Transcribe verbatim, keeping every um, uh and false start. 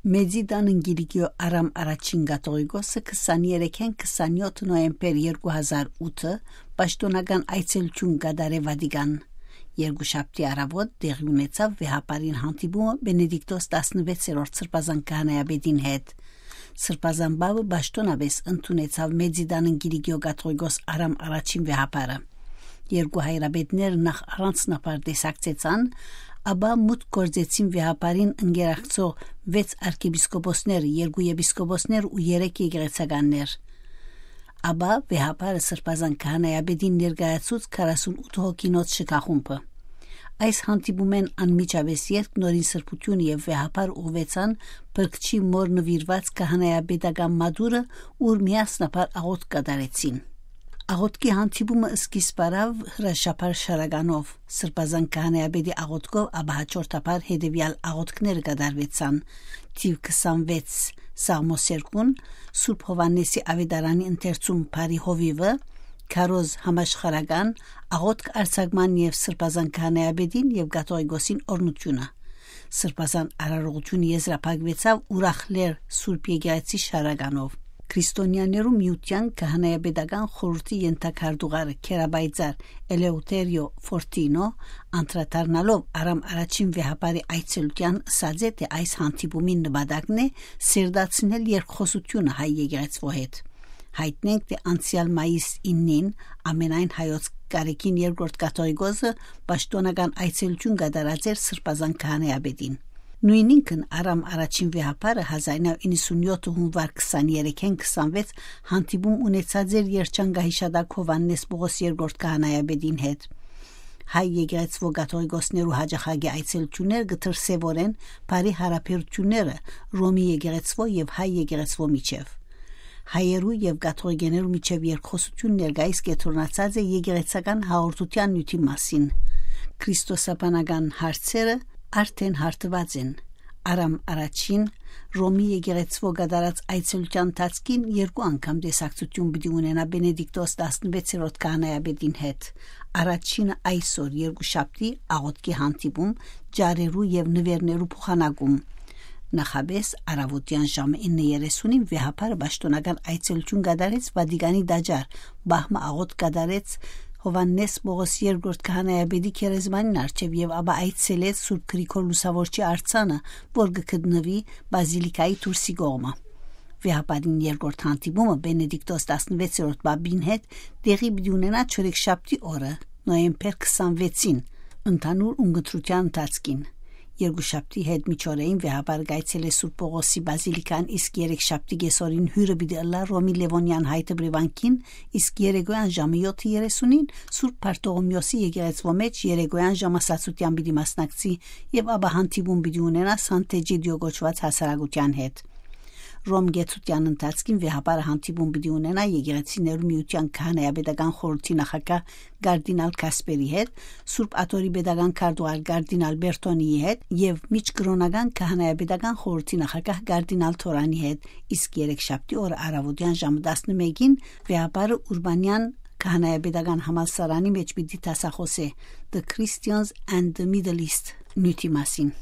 Մեծի տան Կիլիկիոյ Արամ Առաջին կաթողիկոսը քսաներեքէն քսանեթ նոյեմբեր երկու հազար ութը պաշտօնական այցելութիւն կատարէ Վատիկան։ Երկուշաբթի առաւօտ տեղի ունեցաւ վեհափառին հանդիպումը Բենեդիկտոս տասնվեցերորդ սրբազան քահանայապետին հետ։ Սրբազան պապը պաշտօնապէս ընդունեցաւ Մեծի տան Կիլիկիոյ կաթողիկոս Արամ Առաջին վեհափառը։ Երկու հայրապետները նախ առանձնաբար տեսակցեցան, ապա մուտք գործեցին վեհափառին ընկերակցող վեց արքեպիսկոպոսներ, երկու եպիսկոպոսներ ու երեք եկեղեցականներ։ Ապա վեհափառը սրբազան քահանայապետին ներկայացուց քառասունութ հոգինոց շքախումբը։ Այս հանդիպումէն անմիջապէս ետք Նորին Սրբութիւնը եւ վեհափառ ուղղուեցան Փրկչի մօր նուիրուած քահանայապետական մատուռը, ուր միասնաբար աղօթք կատարեցին։ Աղօթքի հանդիպումը սկիզբ առաւ հրաշափառ շարականով։ Սրբազան քահանայապետի աղօթքով ապա հաջորդաբար հետեւեալ աղօթքները կատարուեցան. թիվ քսանվեց Սաղմոսերկուն, Սուրբ Յովհաննէսի աւետարանի ընթերցում Բարի Հովիւը, քարոզ համաշխարական, աղօթք արձակման եւ սրբազան քահանայապետին եւ կաթողիկոսին օրհնութիւնը։ Սրբազան արարողութիւնը եզրափակուեցաւ Ուրախ Լեռ Սուրբ Եկեղեցի շարականով։ Քրիստոնեաներու միութեան քահանայապետական խորհրդի ենթակարդուղարը քերապայծառ Էլեուտերիո Ֆորտինո, անդրադառնալով Արամ Առաջին վեհափառի այցելութեան, ըսած է, թէ այս հանդիպումին նպատակն է սերտացնել երկխօսութիւնը հայ եկեղեցւոյ հետ։ Յայտնենք, թէ անցեալ մայիս իննին ամենայն հայոց կարեքին երկրորդ կաթողիկոսը պաշտօնական այցելութիւն կատարած էր սրբազան քահանայապետին։ Նոյնինքն Արամ Առաջին վեհափառը հազար իննսունեթ հունուար քսաներեքէն քսանվեց հանդիպում ունեցած էր Երջանկահիշատակ Յովհաննէս Պողոս երկրորդ քահանայապետին հետ։ Հայ եկեղեցւոյ կաթողիկոսներու յաճախակի այցելութիւնները կը դրսեւորեն բարի յարաբերութիւնները Ռոմի եկեղեցւոյ եւ հայ եկեղեցւոյ միջեւ։ Հայերու եւ կաթողիկեներու միջեւ երկխօսութիւն ներկայիս կեդրոնացած է եկեղեցական հաղորդութեան նիւթի մասին։ Քրիստոսաբանական հարցերը արդէն հարթուած են։ Արամ Առաջին Ռոմի եկեղեցւոյ կատարած այցելութեան ընթացքին երկու անգամ տեսակցութիւն պիտի ունենայ Բենեդիկտոս տասնվեցերորդ քահանայապետին հետ։ Առաջինը այսօր, երկուշաբթի, աղօթքի հանդիպում, ճառերու եւ նուէրներու փոխանակում։ Նախապէս առաւօտեան ժամը իննը երեսունին վեհափառը պաշտօնական այցելութիւն կատարեց Վատիկանի տաճար, պահմը աղօթք կատարեց Յովհաննէս Պողոս երկրորդ քահանայապետի գերեզմանին առջեւ եւ ապա այցելեց Սուրբ Գրիգոր Լուսաւորչի արձանը, որ կը գտնուի Բազիլիկայի դուրսի կողմը։ Վեհափառին երկրորդ հանդիպումը Բենեդիկտոս տասնվեցերորդ պապին հետ տեղի պիտի ունենայ չորեքշաբթի օրը, նոյեմբեր քսանվեցին, ընդհանուր ունկնդրութեան ընթացքին։ Երկուշաբթի հետ միջօրեին վեհափառը կայցելէ Սուրբ Պողոսի բազիլիկան, իսկ երեքշաբթի կեսօրին հիւրը պիտի ըլլայ Ռոմի Լեւոնեան հայ դպրեվանքին, իսկ երեկոյեան ժամը եթը երեսունին Սուրբ Բարթողոմեոսի եկեղեցւոյ մէջ երեկոյեան ժամասացութեան պիտի մասնակցի եւ ապա հանդիպում պիտի ունենայ Սանտէջիդիո կոչուած հասարակութեան հետ։ Ռոմ կեցութեան ընթացքին վեհափառը հանդիպում պիտի ունենայ եկեղեցիներու միութեան քահանայապետական խորհրդի նախագահ կարդինալ Քասպերի հետ, Սուրբ Աթոռի պետական քարտուղար կարդինալ Բերտոնիի հետ եւ միջկրօնական քահանայապետական խորհրդի նախագահ կարդինալ Թորանի հետ, իսկ երեքշաբթի օրը առաւօտեան ժամը տասնմէկին վեհափառը Ուրբանեան քահանայապետական համալսարանի մէջ պիտի դասախօսէ The Christians and the Middle East նիւթի մասին։